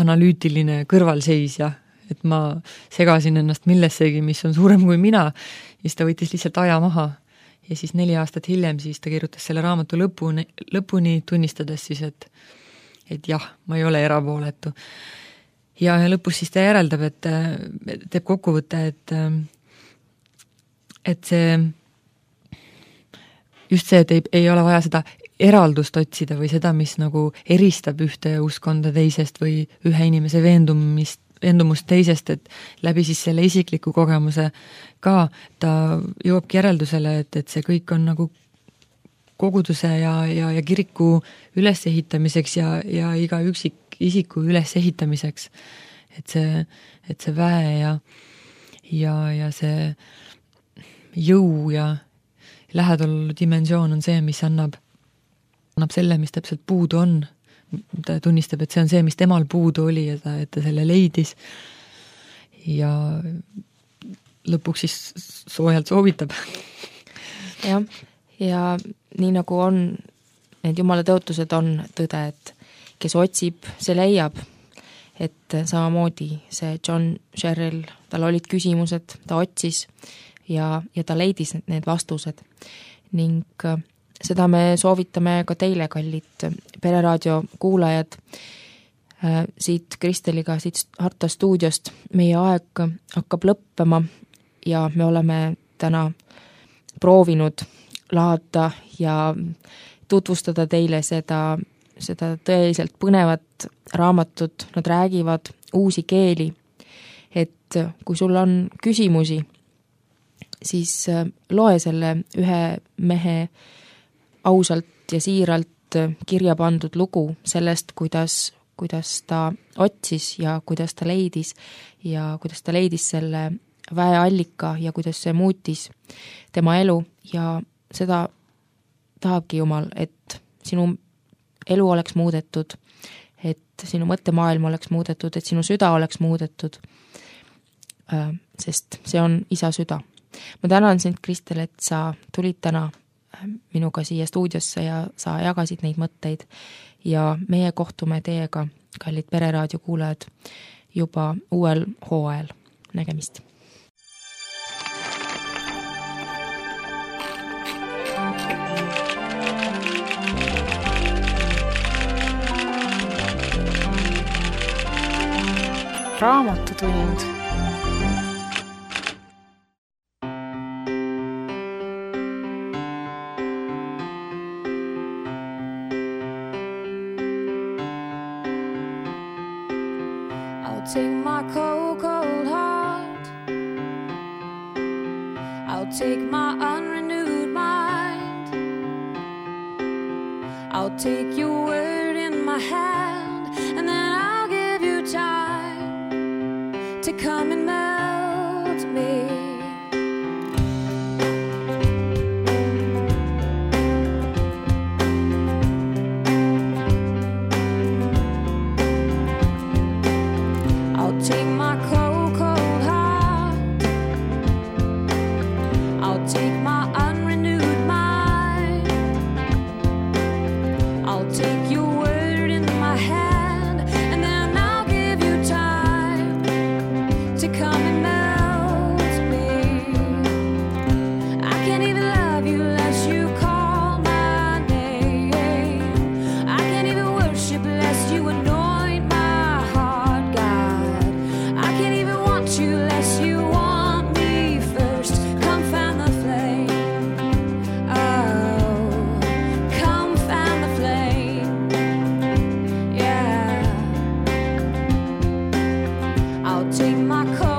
analüütiline kõrvalseisja, et ma segasin ennast millessegi, mis on suurem kui mina, ja siis ta võttis lihtsalt aja maha. Ja siis neli aastat hiljem siis ta kirjutas selle raamatu lõpuni, lõpuni tunnistades siis, et, et jah, ma ei ole erapooletu. Ja, ja lõpus siis ta järeldab, et teeb kokkuvõtte, et, et see just see, et ei, ei ole vaja seda eraldust otsida või seda, mis nagu eristab ühte uskonda teisest või ühe inimese veendumist, veendumust teisest, et läbi siis selle isikliku kogemuse ka ta jõuabki järeldusele, et, et see kõik on nagu koguduse ja, ja, ja kiriku ülesehitamiseks ja, ja iga üksik isiku ülesehitamiseks. Et see, et see väe ja, ja, ja see jõu ja lähedal dimensioon on see, mis annab annab selle, mis täpselt puudu on. Ta tunnistab, et see on see, mis temal puudu oli ja ta, et ta selle leidis. Ja lõpuks siis soojalt soovitab. Ja, ja nii nagu on, need jumala tõotused on tõde, et kes otsib, see leiab. Et samamoodi see John Sherrill, tal olid küsimused, ta otsis ja, ja ta leidis need vastused. Ning seda me soovitame ka teile, kallid Pereraadio kuulajad, siit Kristeliga, siit Harta stuudiost. Meie aeg hakkab lõppema ja me oleme täna proovinud lahata ja tutvustada teile seda, seda tõeliselt põnevat raamatut. Nad räägivad uusi keeli, et kui sul on küsimusi, siis loe selle ühe mehe ausalt ja siiralt kirja pandud lugu sellest, kuidas, kuidas ta otsis ja kuidas ta leidis ja kuidas ta leidis selle väeallika ja kuidas see muutis tema elu ja seda tahabki Jumal, et sinu elu oleks muudetud, et sinu mõttemaailm oleks muudetud, et sinu süda oleks muudetud, sest see on isa süda. Ma tänan sind, Kristel, et sa tulid täna minuga siia stuudiosse ja sa jagasid neid mõtteid ja meie kohtume teiega, kallid Pereraadio kuulajad, juba uuel hooajal. Nägemist! Raamatutund. Take my cold, cold heart. I'll take my unrenewed mind. I'll take your word in my hand, and then I'll give you time to come and melt me. Take my cold, cold heart. I'll take my unrenewed mind. I'll take your word in my hand, and then I'll give you time to come and melt me. I can't even love you unless you call my name. I can't even worship unless you anoint my heart, God. You less I'll take my coat